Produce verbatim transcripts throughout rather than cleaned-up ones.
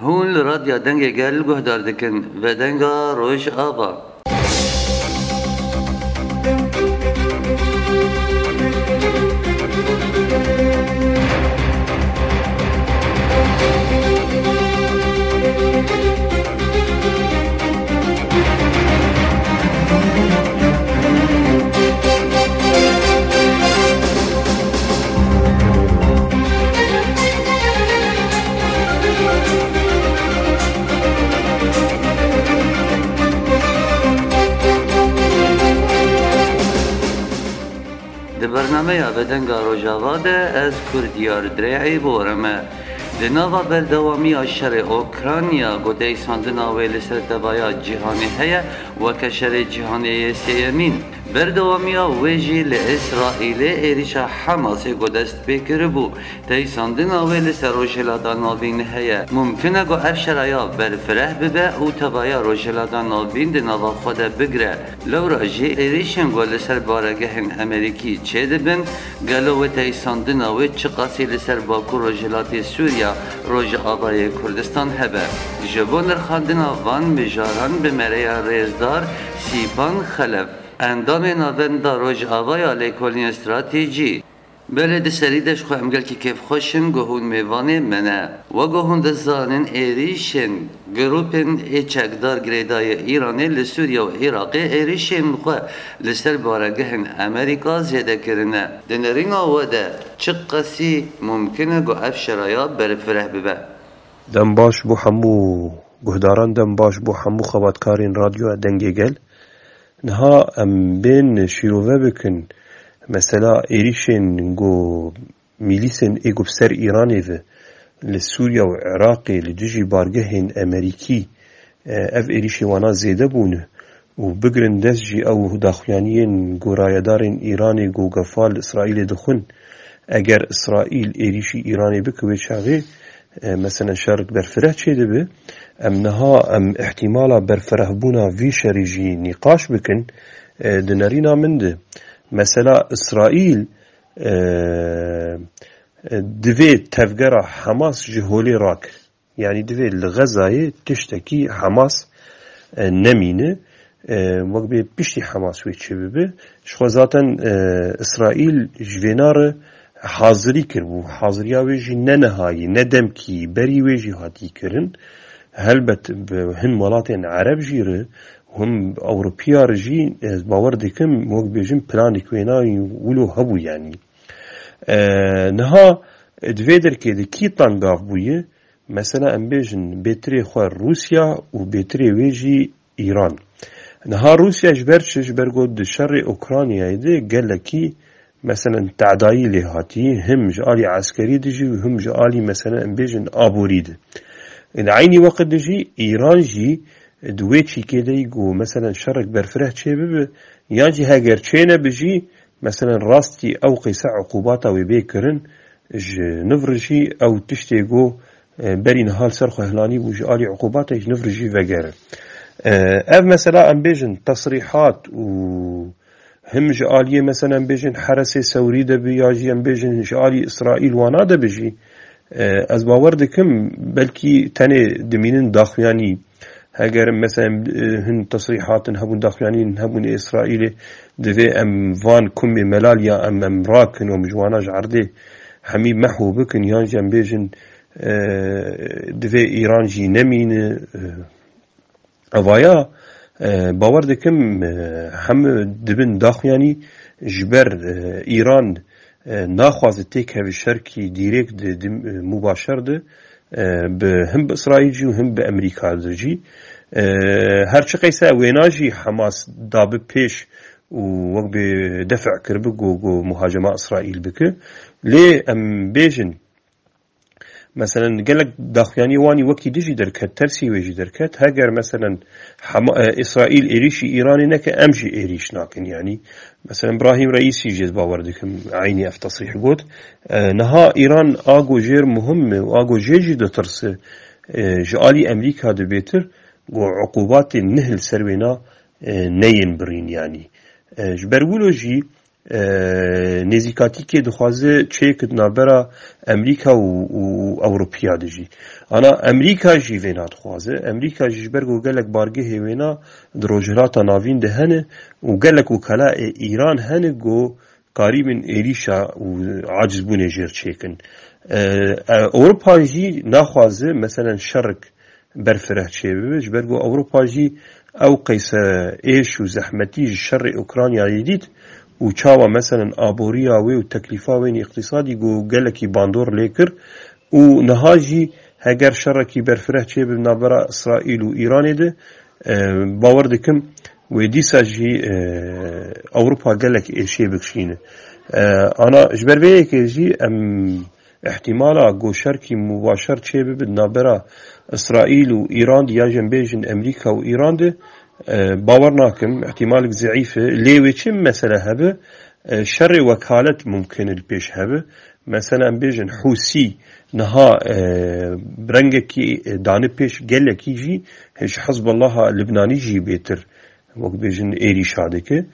Hûn li Radya Dengê Gel guhdar dikin, Vedenga Rojava. Di bernameya Vedenga Rojava de ez Kurdiyar Dirê'î bi we re me. Di nava berdewamiya şerê Ukrayna, ku deysandina wê li ser tevaya cîhanê heye, weke şerê cîhanê yê sêyemîn. Berdewamiya wê jî li Îsraîlê êrîşa Hamasê ku dest pê kiribû. Deysandina wê li ser Rojhilata Navîn heye. Mumkin e ku ev şeraya berfireh bibe û tevaya Rojhilata Navîn di nava xwe de bigire. Lewra jî êrîşên ku li ser baregehên Amerîkî çêdibin, gelo wê deysandina wê çiqasî li ser Bakur Rojhilatê Sûriya, Rojavayê Kurdistan hebe? Ji bo nirxandina van mijaran bi me re ya rêzdar Sîpan Xelef, endamê Navenda Rojavaya Lêkolînên Stratejî. Belê, di serî de ji xwe em gelkî kêfxweş in ku hûn mêvanê me ne. Wek ku hûn dizanin, êrîşên grûpên ê çekdar girêdayî Îranê li Sûriye û Iraqê êrîşên xwe li ser baregehên Amerîka zêde kirine. Di nerîna we de çiqasî mumkin e ku ev şeraya berfireh bibe? Dem baş bo hemû guhdaran, dem baş bo hemû xebatkarên Radyoya Dengê Gel. Niha em bên şîrove bikin, mesela êrîşên ku mîlîsên ê ku bi ser Îranê ve li Sûriye û Iraqê li dijî bargehên Amerîkî, e, ev êrîşê wana zêde bûne û bigirin dest jî ew daxuyaniyên ku rayedarên Îranê ku gefa li Îsraîlê dixwin, eger Îsraîl êrîşî Îranê bike wê çaxê, e, meselen şerik berfireh çêdibe. Em niha em îhtîmala berfirehbûna vî şerî jî nîqaş bikin, e, di nerîna min de. Mesela Îsraîl, e, e, divê tevgera Hamas ji holê rakir. Yanî divê li Xezayê tiştekî Hamas, e, nemîne, e, wek bê piştî Hamas wê çêbibe. Ji xwe zaten, e, Îsraîl ji vêna re hazirî kiribû. Haziriya wê jî ne nihayî, ne demkî, berî wê jî hatî kirin. Helbet bi hin welatên Ereb jî re, him Ewropiya re jî, ez bawer dikim, wek bêjin planik wêna wilo hebû yanî. E, niha di vê derkê de kî tengav bûye? Mesela em bêjin bêtirê xwe Rûsya û bêtirê wê jî Îran. Niha Rûsya ji ber çi? Ji ber ku di şerê Ukraynayê de gelekî, meselen, tedayî lê hatî, him ji alî eskerî de jî û him ji alî, meselen, em bêjin aborî de. Di eynî weqt de jî Îran jî di wê çîkê de yî ku, meselen, şerek berfireh çê bibe, yan jî heger çê nebe jî, meselen, rastî ew qîse uqûbata wê bê kirin, ji niv re jî ew tiştê ku, e, berî niha li ser xwe hilanî bû ji alî uqûbatê ji niv re jî vegere. E, ev mesela em bêjin tesrîhat û him ji aliyê mesela em bêjin Heresê Sewrî de bi ya jî em bêjin ji alî Îsraîl wana de bi jî, e, ez bawer dikim belkî tenê dimînin daxuyanî. Heger mesela, e, hin tesrîhatin hebûn, daxuyanîn hebûn ê Îsraîlê, divê em van kumê melal ya em, em rakin û em ji wana ji erdê hemî mehw bikin, yan jî em bêjin, e, divê Îran jî nemîne, e, evaya, e, bawer dikim, e, hemû dibin daxuyanî ji ber, e, Îran, e, naxwaze têkeve şerkî dîrêk di, di, e, mubaşer de, e, bi, him bi Îsraîl jî û him bi Amerîka de jî. E, her çi qeyse wêna jî Hamas dabi pêş û wek bi def' kiribi ku, ku muhacema Îsraîl bike. Lê em bêjin, meselen, gelek daxuyaniyê wanî wekî dijî derket, tersî wê jî derket. Heger, meselen, Hema-, e, Îsraîl êrîşî Îranê neke, em jî êrîş nakin. Yanî, meselen, Brahîm Reîsî jî ez bawer dikim eynî ev tesrîh got. E, niha Îran a ku jêr muhim e û a ku jê jî ditirse, e, ji alî Amerîka de bêtir ku uqûbatên neh li ser wêna, e, neyên birîn yanî. E, ji ber wilo jî e, nêzîkatîkê dixwaze çêkit navbera Amerîka û, û Ewropiya de jî. Ana Amerîka jî vê nadixwaze. Amerîka jî ji ber ku gelek bargehê wêna di Rojhilata Navîn de hene û gelek wekala ê Îran hene ku karîbin êrîşa û acizbûnê jêr çêkin. E, e, Ewropa jî naxwaze, meselen, şerik berfireh çêbibe, ji ber ku Ewropa jî ew qeyse êş û zehmetî ji şerê Ukraynayê dît û çawa, meselen, aboriya wê û teklîfa wê yên îqtîsadî ku gelekî bandor lê kir û niha jî heger şerekî berfireh çêbibe navbera Îsraîl û Îranê de, e, bawer dikim wê dîsa jî, e, Ewropa gelek êşê bikişîne. E, ana ji ber vê yekê jî em îhtîmala ku şerkî mubaşer çêbibe di navbera Îsraîl û Îran de ya jî em bêjin Amerîka û Îran de, e, bawer nakim, îhtîmalek zeîf e. Lê wê çi mesele hebe, e, şerê wekalet mumkin e li pêş hebe. Mesela em bêjin Hûsî niha, e, rengekî, e, dane pêş gelekî jî ji Hizbullaha Libnanî jî bêtir wek bêjin êrîşa dike.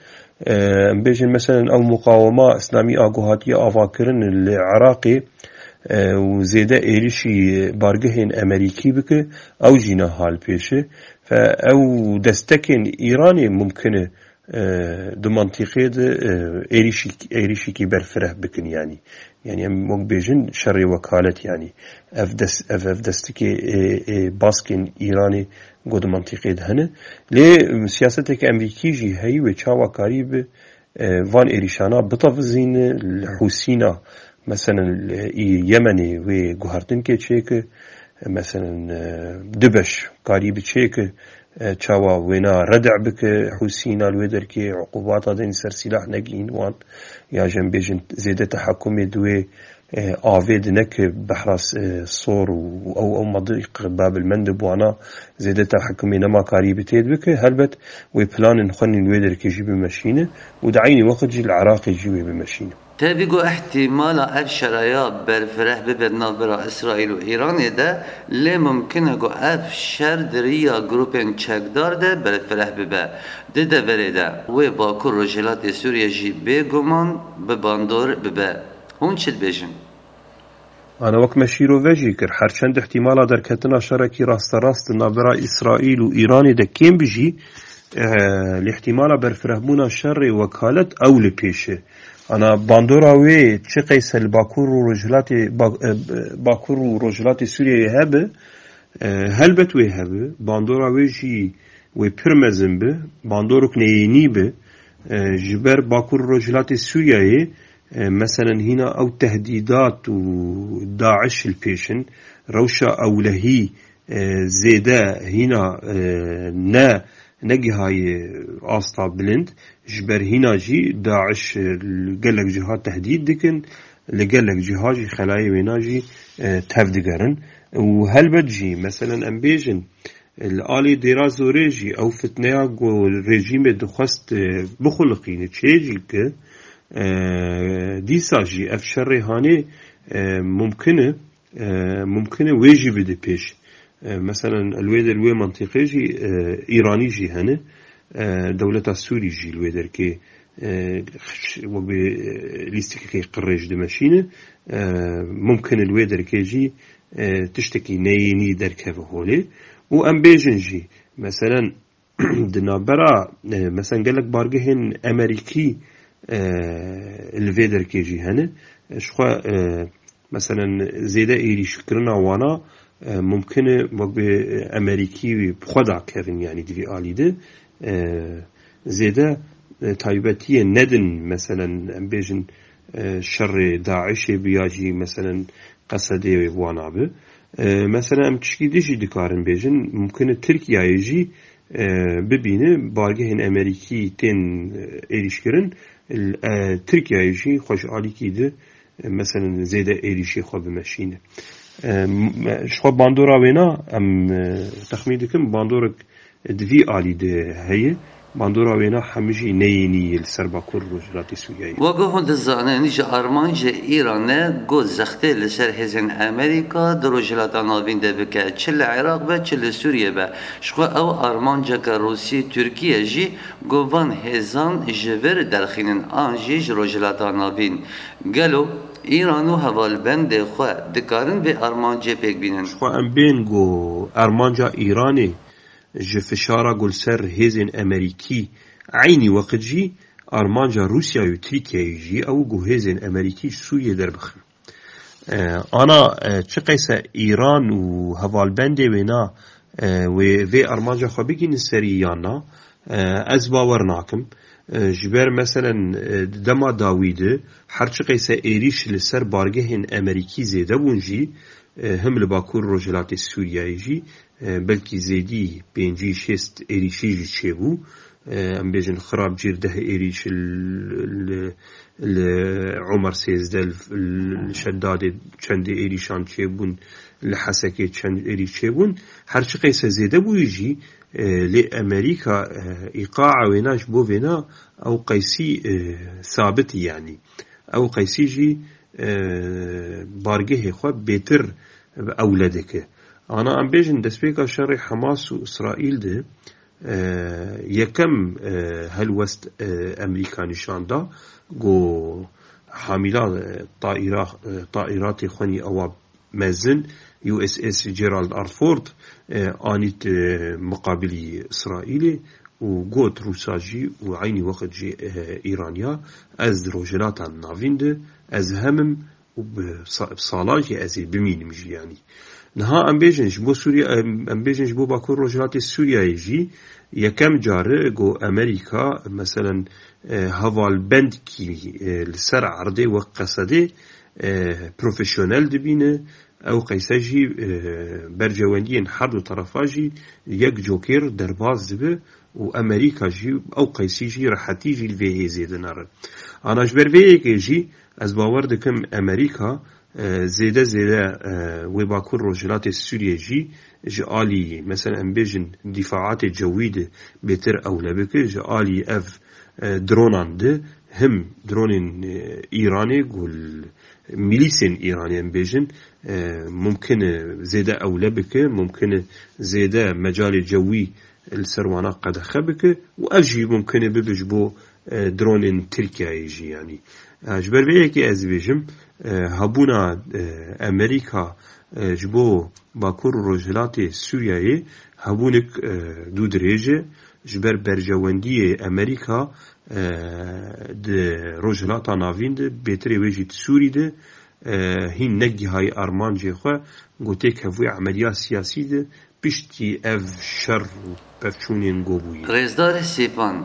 E, em bêjin, meselen, ew muqawema îslamî a ku hatiye avakirin li Iraqê, e, û zêde êrîşî bargehên Amerîkî bike, ew jî niha li pêş e. Fe ew destekên Îranê mumkin e, e, di mantîqê de, e, êrîşî-, êrîşîkî berfireh bikin, yanî. Yanî em wek bêjin şerê wekalet, yanî. Ev des-, ev, ev destikê, e, e, baskên Îranê ku di mantîqê de hene. Lê, e, siyaseteke Amerîkî jî heyî wê çawa karî bi, e, van êrîşana bitevizîne li Hûsîna, meselen, li, î Yemenê wê guhertinkê çêke, e, meselen, e, du beş karî bi çêke, e, çawa wêna redî bike, Hûsîna li wê derkê uqubata dên ser sîlah negihîn wan, ya jî em bêjin zêde tehekumê di wê, e, avê di neke behra, e, Sor û ew, ew madiq Babil Mendib wana zêde tehekumê nema karî bi têd bike, helbet wê planên xwe nîn wê derkê jî bimeşîne û di eynî wext jî li Iraqê jî wê bimeşîne. Tevî ku îhtîmala ev şeraya berfireh bibe di navbera Îsraîl û Îranê de, lê mumkin e ku ev şer di riya grûpên çekdar de berfireh bibe. Di deverê de wê Bakur Rojhilatê Sûriyê jî bêguman bi bandor bibe. Hûn çi dibêjin? Ana wek me şîrove jî kir, her çend îhtîmala derketina şerekî rasterast di navbera Îsraîl û Îranê de kêm bi jî, e, lê îhtîmala berfirehbûna şerê wekalet ew li pêş e. Ana bandora wê çi qeyse li Bakur û Rojhilatê, Ba-, e, Bakur û Rojhilatê Sûriyeyê hebe, e, helbet wê hebe. Bandora wê jî wê pir mezin bi, bandorek neyênî bi, e, ji ber Bakur û Rojhilatê Sûriyeyê, e, meselen hîna ew tehdîdat û DAIŞ li pêş in, rewşa ewlehî, e, zêde hîna, e, ne, negihaye asta bilind, ji ber hîna jî DAIŞ, e, li gelek ciha tehdît dikin, li gelek ciha jî xelayê wêna jî, e, tev digerin. Û helbet jî, meselen em bêjin, li alî Dêra Zorê jî ew fitneya ku rejîmê dixwest, e, bixuliqîne, çê jî bike, e, dîsa jî ev şerê hanê, e, mumkin e, e, mumkin e wê jî bide pêş. E, meselen, li wê der, wê mentiqê jî, e, Îranî jî hene, e, dewleta Sûrî jî li wê derkê, e, wek bê, e, lîstikekê qirêj dimeşîne, e, mumkin e li wê derkê jî, e, tiştekî neyênî derkeve holê. Û em bêjin jî, meselen, di navbera, e, meselen, gelek bargehên Amerîkî, e, li vê derkê jî hene. E, ji xwe, e, meselen, zêde êrîşkirina wana, e, mumkin e wek bi Amerîkî bi xwe de kevin, yanî di vî alî de, e, zêde, e, taybetiyê nedin, meselen, em bêjin, e, şerê DAIŞê bi ya jî, meselen, Qesedê wana bi. E, mesela em tişkî din jî dikarin bêjin, mumkin e Tirkiyeyê jî, e, bibîne bargehên Amerîkî tên, e, êrîşkirin, e, Tirkiyeyê jî xwe ji alîkî di, e, meselen zêde êrîşê xwe bimeşîne. E, m-, ji xwe bandora wêna em, e, texmîn dikim bandorek di vî alî de heye. Bandora wêna hemî jî neyênî yê li ser Bakur Rojhilatê Sûriyeyê. Weke hûn dizanin, ji armancê Îranê ku zextê li ser hêzên Amerîka di Rojhilata Navîn de bike, çi li Iraq be, çi li Sûriyê be. Ji xwe ew armanceke Rûsî, Tirkiye jî ku van hêzan ji vir derxînin an jî ji Rojhilata Navîn. Gelo Îran û hevalbendê xwe dikarin vê armancê pêk bînin? Ji xwe em bên ku armanca Îranê ji fişara ku li ser hêzên Amerîkî, eynî weqt jî armanca Rûsya û Tirkiyeyê jî ew ku hêzên Amerîkî ji Sûriyê derbixin. E, ana, e, çi qeyse Îran û hevalbendê wêna, e, wê vê armanca xwe bigînin serî yan na, e, ez bawer nakim. E, ji ber meselen, e, di dema dawî de her çi qeyse êrîş li ser bargehên Amerîkî zêde bûn jî, e, him li Bakur Rojhilatê Sûriyeyê jî, e, belkî zêdî pêncî şêst êrîşî jî çêbû. E, em bêjin xirab cîr deh êrîş li, li, li Omer sêzdeh, li, li Şedadê çendê êrîşan çêbûn, li Hesekê çend êrîş çêbûn. Her çi qeyse zêde bûyî jî, e, lê Amerîka, e, îqaa wêna ji bo vêna ew qeysî, e, sabit, yanî ew qeysî jî, e, bargehê xwe bêtir ewle dike. Ana em bêjin destpêka şerê Hamas û Îsraîl de, e, yekem, e, helwest, e, Amerîka nîşan da, ku hamîla, e, taîra-, e, taîratê xwenî ewa mezin U S S Gerald R. Ford, e, anît, e, miqabilî Îsraîlê û got Rûsa jî û eynî weqt jî, e, Îraniya, ez di Rojhilata Navîn de ez hemim û bi sa-, bi salan jî ez ê bimînim jî, yanî. Niha em bêjin ji bo Sûriye, em, em bêjin ji bo Bakur Rojhilatê Sûriyeyê jî yekem care ku Amerîka, meselen, e, hevalbendkî, e, li ser erdê wek Qesedê, e, profesyonel dibîne, ew qeyse jî, e, bercewendiyên her du terefa jî yek cokêr derbas dibe û Amerîka jî ew qeysî jî rehetî jî li vê hêzê dinere. Ana ji ber vê yekê jî ez bawer dikim Amerîka, e, zêde zêde, e, wê Bakur Rojhilatê Sûriyê jî ji alî, mesela em bêjin, dîfaatê cewî de bêtir ewle bike, ji alî ev, e, dronan de him dronên, e, Îranê ku li mîlîsên Îranê em bêjin, e, mumkin e zêde ewle bike, mumkin e zêde mecalê cewî li ser wana qedexe bike û ev jî mumkin e bibe ji bo, e, dronên Tirkiyeyê jî, yanî. E, ji ber vê yekê ez dibêjim, e, hebûna, e, Amerîka, e, ji bo Bakur û Rojhilatê Sûriyeyê hebûnek, e, dû dirêj e, ji ber berjewendiyê Amerîka, e, di Rojhilata Navîn de, bêtirê wê jî di Sûrî de, e, hîn negihayî armancê xwe, ku têkevûyê emeliya siyasî de piştî ev şer û pevçûnên ku bûyî. Rêzdar Sêpan,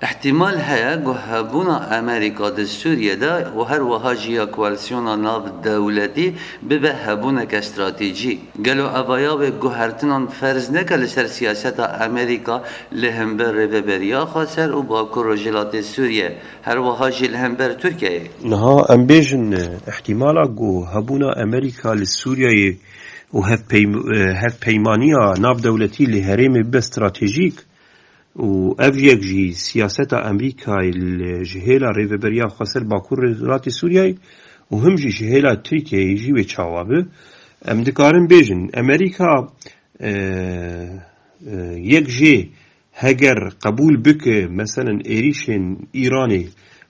îhtîmal heye ku hebûna Amerîka di Sûriyê de û her wiha jî ya koalîsyona navdewletî bibe hebûneke stratejî. Gelo evaya wê guhertinan ferz neke li ser siyaseta Amerîka li hember Rêveberiya Xweser û Bakur Rojhilatê Sûriyê, her wiha jî li hember Tirkiyeyê? Niha em bêjin, îhtîmala ku hebûna Amerîka li Sûriyeyê û hevpeym-, e, hevpeymaniya navdewletî li herêmê bibe stratejîk û ev yek jî siyaseta Amerîkayê li, ji hêla Rêveberiya Xweser Bakur Rojhilatê Sûriyeyê û him jî ji hêla Tirkiyeyê jî wê çawa be. Em dikarin bêjin, Amerîka, e, e, yek jê heger qebûl bike, meselen, êrîşên Îranê,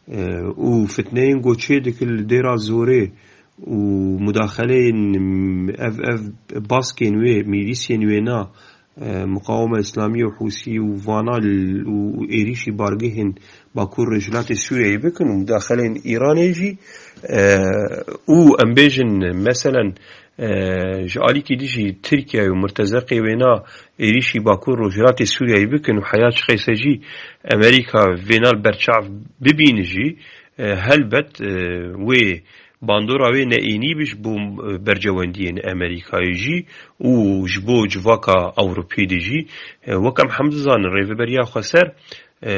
e, û fitneyên ku çê dike li Dêra Zorê û mudaxeleyên, ev, ev baskên wê, mîlîsên wêna, e, Muqawema Îslamî û Hûsî û vana l-, û, û êrîşî bargehên Bakur Rojhilatê Sûriyeyê bikin û mudaxeleyên Îranê jî, e, û em bêjin, meselen, e, ji alîkî dijî Tirkiye û murtezeqê wêna êrîşî Bakur Rojhilatê Sûriyeyê bikin û heya çi qeyse jî Amerîka vêna li berçav bibîne jî, e, helbet, e, wê bandora wê neênî bi ji bo, e, bercewendiyên Amerîkayê jî û ji bo civaka Ewropê de jî, e, wek em hem dizanin Rêveberiya Xweser e,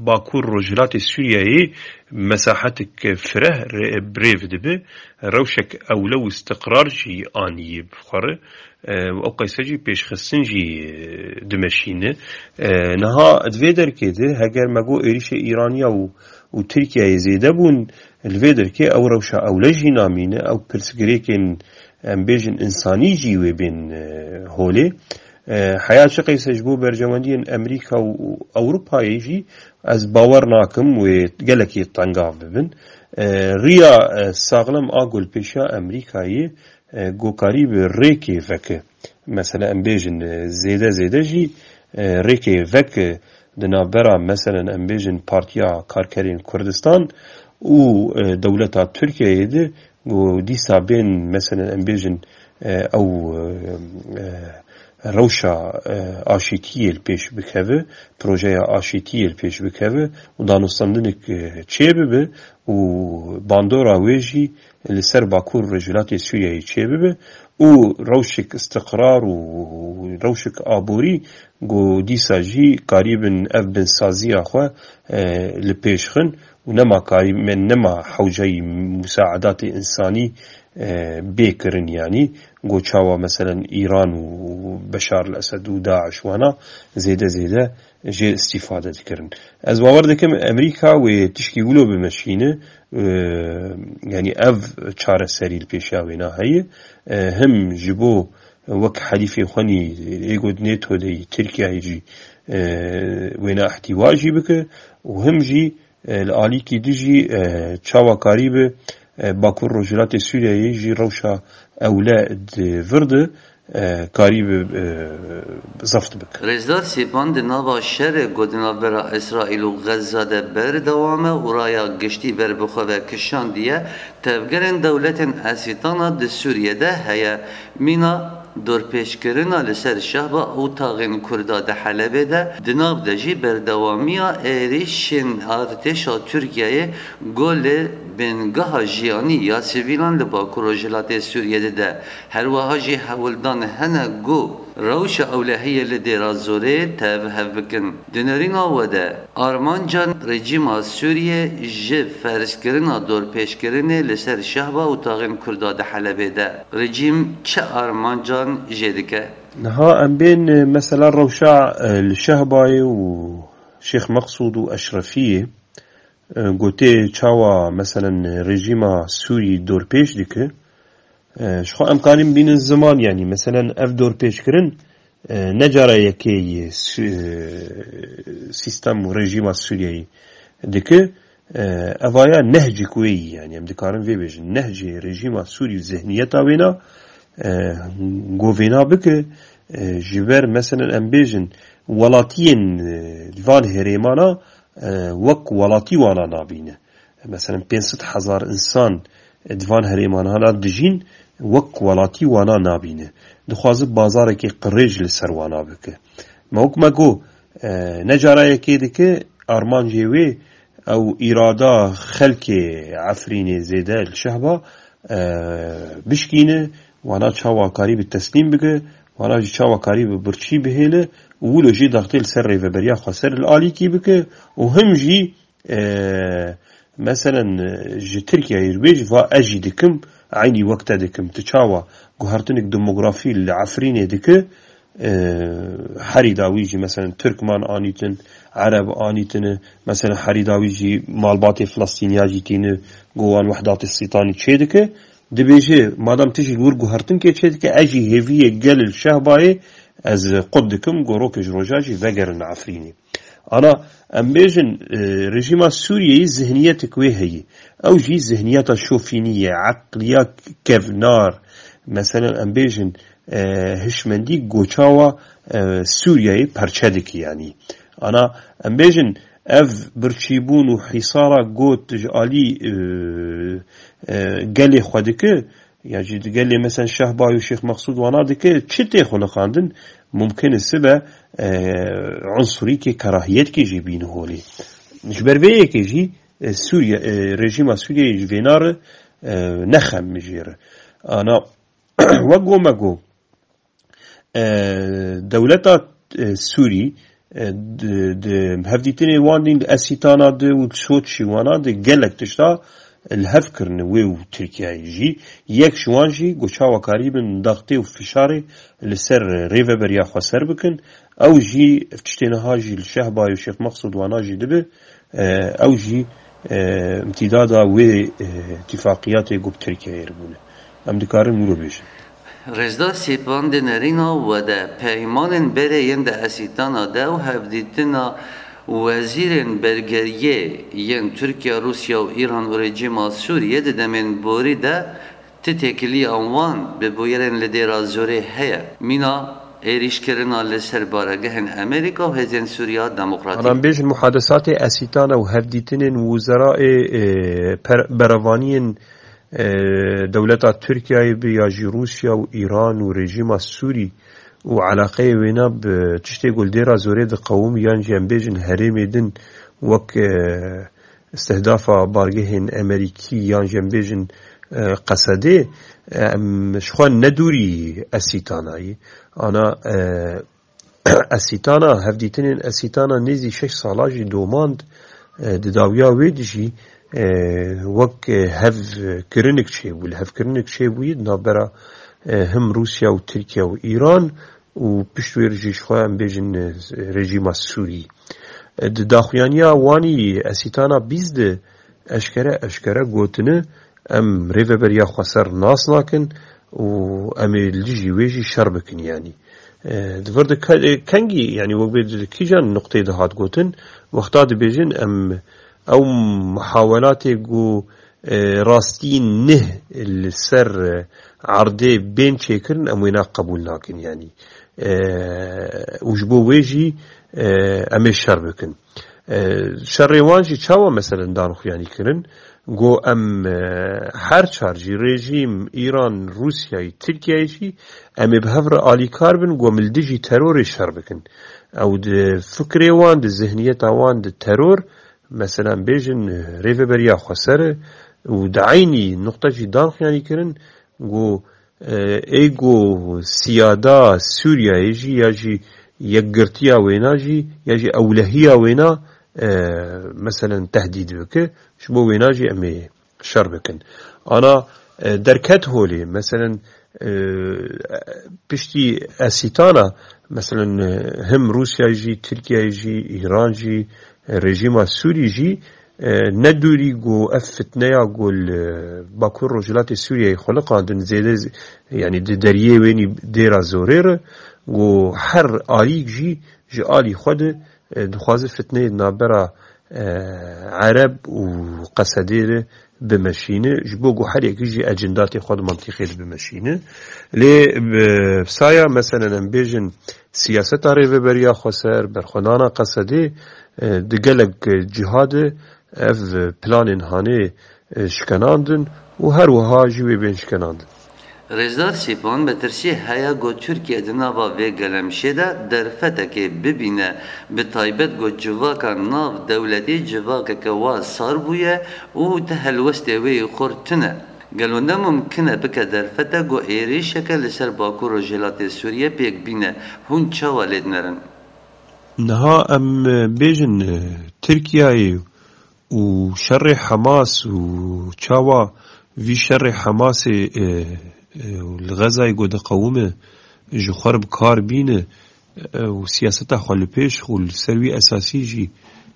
Bakur Rojhilatê Sûriyeyê mesahetik fireh re-, birêv dibe, rewşek ewle û istiqrar jî anî bi xwe re, e, û ew qeyse jî pêşxistin jî, e, dimeşîne. E, niha di vê derkê de heger me got êrîşê Îraniya û, û Tirkiyeyê zêde bûn, li vê derkê ew rewşa ewle jî namîne, ew pirsgirêkên, em bêjin, însanî jî wê bên, e, holê. E, heya çi qeyse ji bo berjewendiyên Amerîka û, û Ewropayê jî ez bawer nakim wê gelekî tengav bibin. E, riya, e, saxlem a ku li pêşiya Amerîkayê, e, ku karî bi rêkê veke. Mesela em bêjin, e, zêde zêde jî, e, rêkê veke di navbera, meselen, em bêjin Partiya Karkerên Kurdistan û, e, dewleta Tirkiyeyê de, ku dîsa bên, meselen, em bêjin, e, ew, e, e, rewşa, e, aşîtiyê li pêş bikeve, projeya aşîtiyê li pêş bikeve û danûstandinek, e, çêbibe û bandora wê jî li ser Bakur û Rojhilatê Sûriyeyê çêbibe û rewşek istiqrar û rewşek aborî ku dîsa jî karîbin ev binsaziya xwe, e, li pêş xin û nema karî-, me nema hewceyî musaedatê însanî, e, bê kirin, yanî ku çawa, meselen, Îran û Beşar el-Esed û DAIŞ wana zêde zêde jê îstîfade dikirin. Ez bawer dikim Amerîka wê tişkî wilo bimeşîne, e, yanî ev çareserî li pêşiya wêna heye, e, him ji bo wek helîfê xwenî ê got NATO de yî, Tirkiyeyê jî, e, wêna îhtîwa jî bike û him jî, e, li alîkî dijî, e, çawa karî bi, e, Bakur Rojhilatê Sûriyeyê jî rewşa ewle di vir de, e, karî bi, e, zeft bike. Rêzdar Sîpan di nava şerê ku di navbera Îsraîl û Xezza de berdewam e û raya giştî ber bi xwe ve kişandiye, tevgerên dewletên Esîtana di Sûriye de heye. Mîna dorpêçkirina li ser şehba û taxên Kurda di Helebê de, di nav de jî berdewamiya êrîşên artêşa Tirkiyeyê ku li bingeha jiyanî ya sivîlan li Bakur Rojhilatê Sûriyê dide. Her wiha jî hewldan hene ku rewşa ewlehiyê li Dêra Zorê tev hev bikin. Di nerîna we de armancan rejîma Sûriyê ji ferzkirina dorpêçkirinê li ser şehba û taxên Kurda di Helebê de rejîm çi armancan jê dike? Niha em bên, e, mesela rewşa, e, li Şehbayê û Şêx Meqsûd û Eşrefiyê, e, gotê çawa, meselen, rejîma Sûrî dorpêç dike. E, ji xwe em karin bînin ziman, yanî, meselen, ev dorpêçkirin, e, ne cara yekê yê Sü-, e, sîstem û rejîma Sûriyeyê dike. E, evaya nehcik wê yî, yanî, em dikarin vê bêjin. Nehcê rejîma Sûrî û zihniyeta wêna, e, govêna bike, e, ji ber, meselen, em bêjin, welatiyên, e, van herêmana, e, wek welatî wana nabîne. Mesela pênc sed hezar însan di van herêmana dijîn, wek welatî wana nabîne. Dixwaze bazarekî qirêj li ser wana bike. Me wek me got, e, ne cara yekê dike, armancê wê ew îrada xelkê Efrînê zêde li Şehba, e, bişkîne, wana çawa karî bi teslîm bike, wana jî çawa karî bi birçî bihêle û wilo jî daxtê li ser rêveberiya xweser li alîkî bike û him jî, e, meselen, e, ji Tirkiyeyê re bêj, va ez jî dikim, eynî wek te dikim. Tu çawa guhertinek demografî li Efrînê dike, e, herî dawî jî, meselen, Tirkman anîtin, Ereb anîtine, meselen, herî dawî jî malbatê Filistîniya jî tîne, go wan Wehdatê Sîtanî çê dike. Dibêje, madem tu jî li wir guhertinkê çê dike, ez jî hêviyê gel li Şehbayê ez qut dikim, go rokê ji roja jî vegerin Efrînê. Ana, em bêjin, e, rejîma Sûriyeyê zihniyetek wê heye. Ew jî zihniyeta şofînî ye, eqliya kevnar. Meselen, em bêjin, e, hişmendî goçawa, e, Sûriyeyê perçe dike, yanî. Ana, em bêjin, ev birçîbûn û hîsara got ji alî, e, e, gelê xwe dike, ya jî di gelê, mesela, Şehba û Şêx Meqsûd wana dike, çi tê xuliqandin, mumkin e sibe, e, unsurîkê kerahiyetkê jî bîne holê. Ji ber vê yekê jî, e, Sûriye, e, rejîma Sûriyeyê ji vêna re, e, ne xem jê re. Ana, wek go me go, e, dewleta, e, Sûrî, e, di, di hevdîtinê wan dîn di Esîtana de û di Soçî wana de gelek tişta li hev kirine wê û Tirkiyeyê jî. Yek ji wan jî ku çawa karîbin daxtê û fişarê li ser rêveberiya xweser bikin. Ew jî ev tiştê niha jî li Şehbayê û Şêx Meqsûd wana jî dibe, e, ew jî, e, imtîdada wê, e, tifaqiyatê ku bi Tirkiyeyê re bûne. Em dikarin wilo bêjin. Rêzdar Sêpan, di nerîna we de peymanên berê yên di Esîtana de û hevdîtina wezîrên bergeriyê yên Tirkiye, Rûsya û Îran û rejîma Sûriyê di demên borî de ti têkiliya wan bi bûyerên li Dêra Zorê heye. Mîna êrîşkirina li ser baregehên Amerîka û Hêzên Sûriya Demokratîk. Em bêjin muhadesatê Esîtana û hevdîtinên wuzeraê, e, per-, berevaniyên, e, dewleta Tirkiyeyê bi ya jî Rûsya û Îran û rejîma Sûrî û eleqeyê wêna bi tiştê ku li Dêra Zorê diqewim yan jî em bêjin herêmê din wek, e, istihdafa bargehên Amerîkî yan jî em bêjin, e, Qesedê, e, em ji xwe ne dûrî Esîtana yî. Ana, e, Esîtana, hevdîtinên Esîtana nêzî şeş sala jî domand, e, di dawiya wê de jî, e, wek, e, hevkirinik çêbû, li hevkirinik çêbûyî di navbera, e, him Rûsya û Tirkiye û Îran û pişt wê jî ji xwe em bêjin, e, rejîma Sûrî. E, di daxuyaniya wanî Esîtana bîst de eşkere, eşkere gotine, em rêveberiya xweser nas nakin û em ê li dijî wê jî şer bikin, yanî. E, di vir de ke-, e, kengî, yanî wek bê di kîjan nuqteyê de hat gotin, wexta dibêjin em ew muhawelatê ku, e, rastî nih li ser, e, erdê bên çêkirin, em wêna qebûl nakin, yanî. E, û ji bo wê jî, e, em ê şer bikin. E, şerê wan jî çawa meselen dan xuyanî kirin? Go em, e, her çar jî rejîm Îran, Rûsyayê, Tirkiyeyê jî em ê bi hev re alîkar bin, go em li dijî terorê şer bikin. Ew di fikrê wan, di zihniyeta wan, di teror, meselen bêjin, e, rêveberiya xweser e û di eynî nuqte jî dan xuyanî kirin, go, e, ê go siyada Sûriyeyê jî ya jî yekgirtiya wêna jî ya jî ewlehiya wêna, e, meselen tehdîd bike, ji bo wêna jî em ê şer bikin. Ana, e, derket holê, meselen, e, piştî Esîtana, meselen, e, him Rûsya jî, Tirkiye jî, Îran jî, e, rejîma Sûrî jî, e, ne dûrî ku ev fitneya ku li Bakur Rojhilatê Sûriyeyê xuliqandin zêde z-, yanî di deriyê wênî Dêra Zorê re, ku her alîk jî ji alî xwe de, e, dixwaze fitneyê di navbera, e, Ereb û Qesedê re bimeşîne, ji bo ku her yekî jî ecindatê xwe di mintîqê de bimeşîne. Lê bi saya, meselen, em bêjin, siyaseta rêveberiya xweser, berxwedana Qesedê, e, di gelek ciha de ev planên hanê, e, şikenandin û her wiha jî wê bên şikenandin. Rêzdar Sîpan, metirsiyê heye ku Tirkiye di nava vê gelemşê de derfetekê bibîne, bi taybet ku civaka nav dewletî civakeke wa sar bûye û ti helwestê wê yê xurt tune. Gelo ne mumkin e bike derfete ku êrîşeke li ser Bakur Rojhilatê Sûriye pêk bîne? Hûn çawa lê dinerin? Niha em, e, bêjin, e, Tirkiyeyê û şerê Hamas û çawa vî şerê Hamasê, e, e, li Xezayê ku diqewime ji xwe re bi kar bîne, e, û siyaseta xwe li pêş û li ser wî esasî jî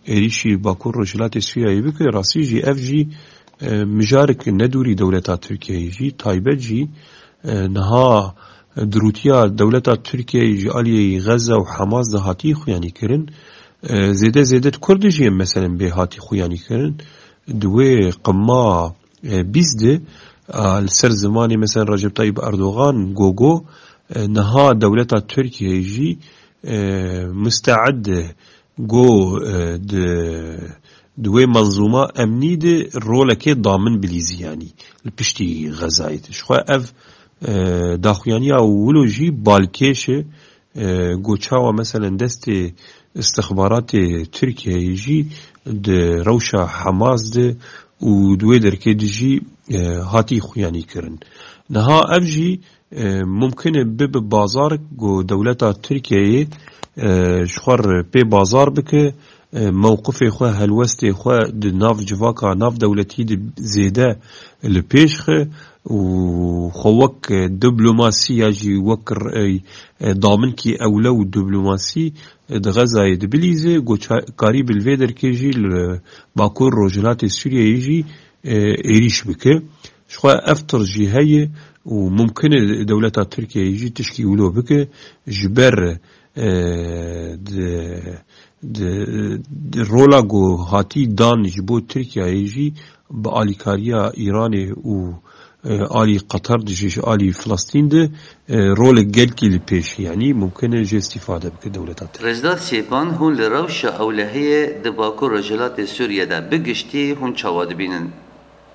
êrîşî Bakur Rojhilatê Sûriyeyê bike, rastî jî ev jî, e, mijarek nedûrî dewleta Tirkiyeyê jî, taybet jî, e, niha dirûtiya dewleta Tirkiyeyê ji aliyê Xeza û Hamas de hatî xuyanî kirin. E, zêde zêde di Kurd jî, meselen, bê hatî xuyanî kirin. Di wê qima, e, bîst de, e, li ser zimanê, meselen, Recep Tayyip Erdogan, Gogo, e, niha dewleta Tirkiyeyê jî, e, musteed e, go, e, di, di wê menzûma emnî de rolekê damin bilîzî, yanî li piştî Xezayê de. Ji xwe ev, e, daxuyaniya wilo jî balkêş e, e, go çawa, meselen, destê istixbaratê Tirkiyeyê jî di rewşa Hamas de û di wê derkê de jî, e, hatî xuyanî kirin. Niha ev jî, e, mumkin e bibe bazarek ku dewleta Tirkiyeyê, e, ji xwe re pê bazar bike, e, mewqifê xwe, helwestê xwe di nav civaka navdewletî de zêde li pêş xe û xwe wek, e, diplomasî ya jî wek r-, e, e, daminkî ewle û diplomasî, e, di Xezayê dibilîze, ku ça-, karî bi li vê derkê jî li Bakur Rojhilatê Sûriyeyê jî, e, êrîş bike. Ji xwe ev tirs jî heye û mumkin e dewleta Tirkiyeyê jî tişkî wilo bike. Ji ber, e, di, di, di rola ku hatî dan ji bo Tirkiyeyê jî bi alîkariya Îranê û, e, alî Qatar de jî, ji alî Filistîn de, e, rolek gelkî li pêş, yanî mumkin e jê îstîfade bike dewleta Tirkiyeyê. Rêzdar Sêpan, hûn li rewşa ewlehiyê di Bakur Rojhilatê Sûriyê de bi giştî hûn çawa dibînin?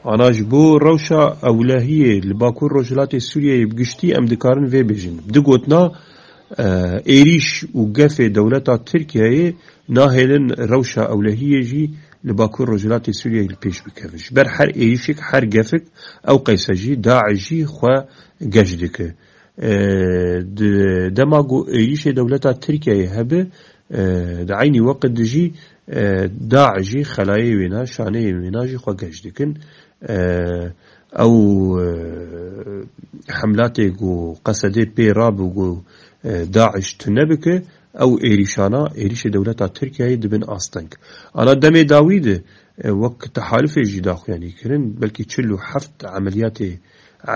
Ana ji bo rewşa ewlehiyê li Bakur Rojhilatê Sûriyeyê bi giştî em dikarin vê bêjin. Bi du gotina, e, êrîş û gefê dewleta Tirkiyeyê nahêlin rewşa ewlehiyê jî li Bakur Rojhilatê Sûriyeyê li pêş bikevin. Ji ber her êrîşek, her gefek ew qeyse jî, DAIŞ jî xwe geş dike. E, di dema ku êrîşê dewleta Tirkiyeyê hebe, e, di eynî weqt de jî, e, DAIŞ jî xelayê wêna, şaneyên wêna jî xwe geş dikin. E, ew, e, hemlatê ku qesedê pê rabe ku, e, DAIŞ tune bike, ew êrîşana, êrîşê dewleta Tirkiyeyê dibin asteng. Ana demê dawî de, e, wek tehalifê jî daxuyanî kirin, belkî çil û heft emeliyatê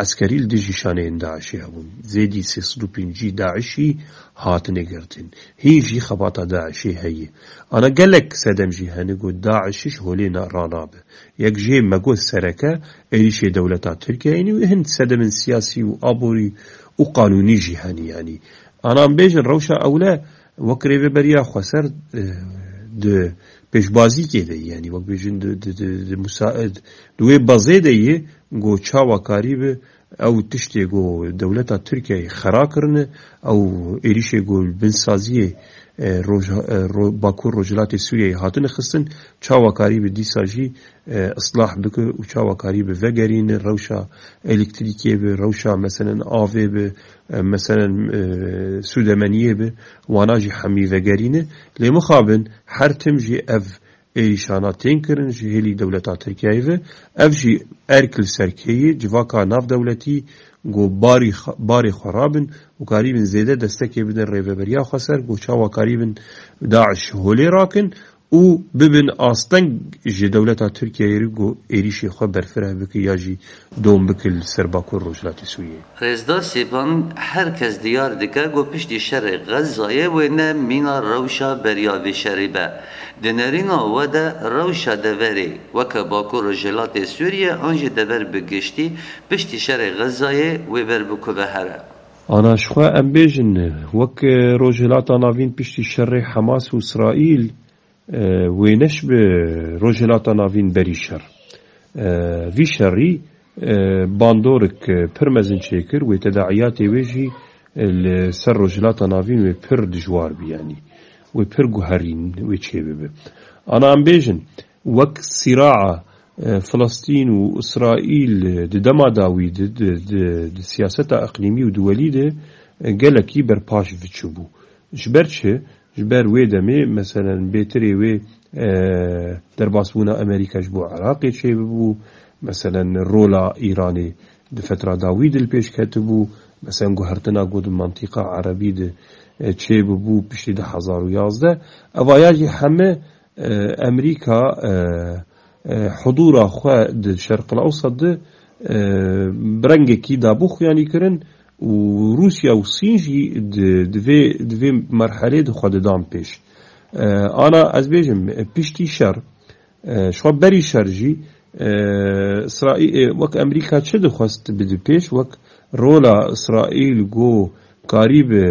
eskerî li dijî şaneyên DAIŞê hebûn. Zêdî sê sed û pêncî DAIŞî hatine girtin. Hîn jî xebata DAIŞê heye. Ana gelek sedem jî hene ku DAIŞ ji holê na-, ranabe. Yek jê me got sereke êrîşê dewleta Tirkiyeyê û hin sedemên siyasî û aborî û qanûnî jî hene yanî. Ana em bêjin rewşa ewle wek rêveberiya xweser, e, di pêşbazîkê de, yanî wek bêjin di, di, di, di musa-, di wê bazê de ye, ku çawa karî bi ew tiştê ku dewleta Tirkiyeyê xera kirine, ew êrîşê ku li bin saziyê, e, roj-, e, ro-, Bakur Rojhilatê Sûriyeyê hatine xistin, çawa karî bi dîsa jî, e, islah bike û çawa karî bi vegerîne rewşa elektrîkê bi, rewşa meselen avê bi, e, meselen, e, sûdemeniyê bi, wana jî hemî vegerîne. Lê mixabin her tim jî ev êrîşana tên kirin ji hêlî dewleta Tirkiyeyê ve. Ev jî erk li ser kê ye, civaka navdewletî ku barî xwe-, barê xwe rabin û karîbin zêde destekê bidin rêveberiya xweser, ku çawa karîbin DAIŞ holê rakin û bibin asteng ji dewleta Tirkiyeyê re ku êrîşê xwe berfireh bike ya jî dom bike li ser Bakur Rojhilatê Sûriyeyê. Rêzdar Sêpan, her kes diyar dike ku piştî şerê Xezayê wê ne mîna rewşa beriya vê şerê be. Di nerîna we de rewşa deverê weke Bakur Rojhilatê Sûriyê an jî dever bi giştî piştî şerê Xezayê wê ber bi ku ve here? Ana ji xwe em bêjin, wek, e, Rojhilata Navîn piştî şerê Hamas û Îsraîl, e, wêneş bi Rojhilata Navîn berî şer. E, vî şerî, e, bandorek, e, pir mezin çêkir, wê tedaiyatê wê jî, e, li ser Rojhilata Navîn wê pir dijwar bi, yanî wê pir guherîn wê çêbibe. Ana em bêjin, wek sîraa, e, Filistîn û Îsraîl, e, di dema dawî de, di, di, di siyaseta iqlîmî û duwelî de, e, gelekî berpaş biçûbû. Ji ber çi? Ji ber wê demê, meselen, bêtirê wê, e, derbasbûna Amerîka ji bo Iraqê çêbibû, meselen, rola Îranê di fetra dawî de li pêş ketibû, meselen, guhertina ku di mantîqa erebî de, e, çêbibû piştî du hezar û yazdeh. Evaya jî heme, e, Amerîka, e, e, hudûra xwe di Şerqil Ewsat de, e, bi rengekî dabû xuyanî kirin û Rûsya û Sîn jî di, di vê, di vê merhelê de xwe didan pêş. E, ana ez bêjim, e, piştî şer, e, ji xwe berî şer jî, e, Îsraî-, e, wek Amerîka çi dixwest bide pêş, wek rola Îsraîl ku karî bi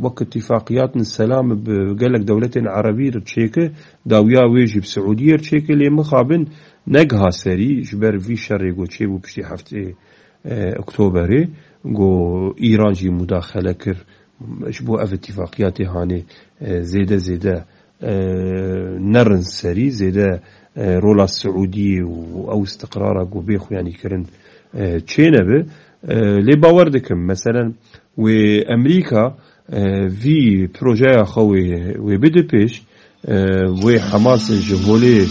wek îtîfaqiyatên selam bi gelek dewletên erebî re çêke, dawiya wê jî bi Siûdiyê re çêke, lê mixabin negiha serî ji ber vî şerê ku çêbû piştî heftê, e, Oktoberê, ku Îran jî mudaxele kir, ji bo ev îtîfaqiyatê hanê, e, zêde zêde, e, nerin serî, zêde, e, rola Siûdiyê û ew îstiqrara ku bê xuyanî kirin, e, çênebe. E, lê bawer dikim, meselen, wê Amerîka, e, vî projeya xwe wê, wê bide pêş, e, wê Hamas ji holê,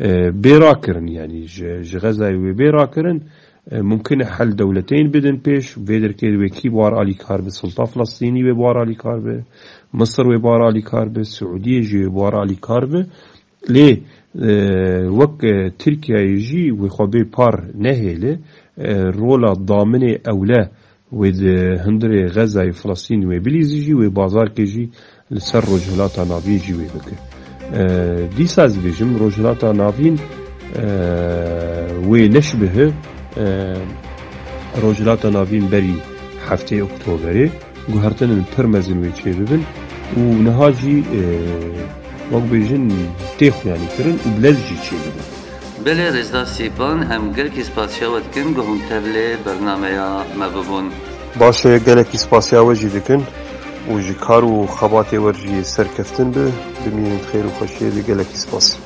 e, bê rakirin, yanî ji, ji Xezayê wê bê rakirin, e, mumkin e hel dewleteyên bidin pêş, vê derkê wê kî bi war alîkar be, Sulta Filistînî wê bi war alîkar be, Misir wê bi war alîkar be, Siûdiyê jî wê bi war alîkar be. Lê, e, wek, e, Tirkiyeyê jî wê xwe bê par nehêle, e, rola daminê ewle wê di hundirê Xezayê Filistîn wê bilîzî jî wê bazarkê jî li ser Rojhilata Navîn jî wê bike. E, dîsa ez dibêjim Rojhilata Navîn, e, wê neşbihi, e, Rojhilata Navîn berî heftê Oktoberê guhertinên pir mezin wê çêbibin û niha jî, e, wek bêjin tê xuyanî kirin û bi lez jî çêbibin. Belê Rêzdar Sîpan, em gelkî spasiya we dikin ku hûn tevlê bernameya me bibûn. Baş e, gelekî spasiya we jî dikin û ji kar û xebatê we jî serkeftin bi, bimînin di xêr û xweşiyê de, gelekî spas.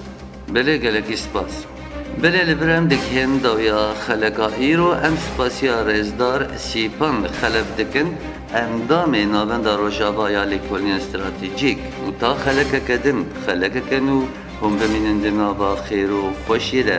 Belê, gelekî spas. Belê, li vir em digihên dawiya xeleka îro, em spasiya Rêzdar Sîpan Xelef dikin, endamê Navenda Rojava ya Lêkolîna Stratejîk û ta xelekeke din, xelekeke nû, hûn bimînin di nava xêr û xweşiyê de.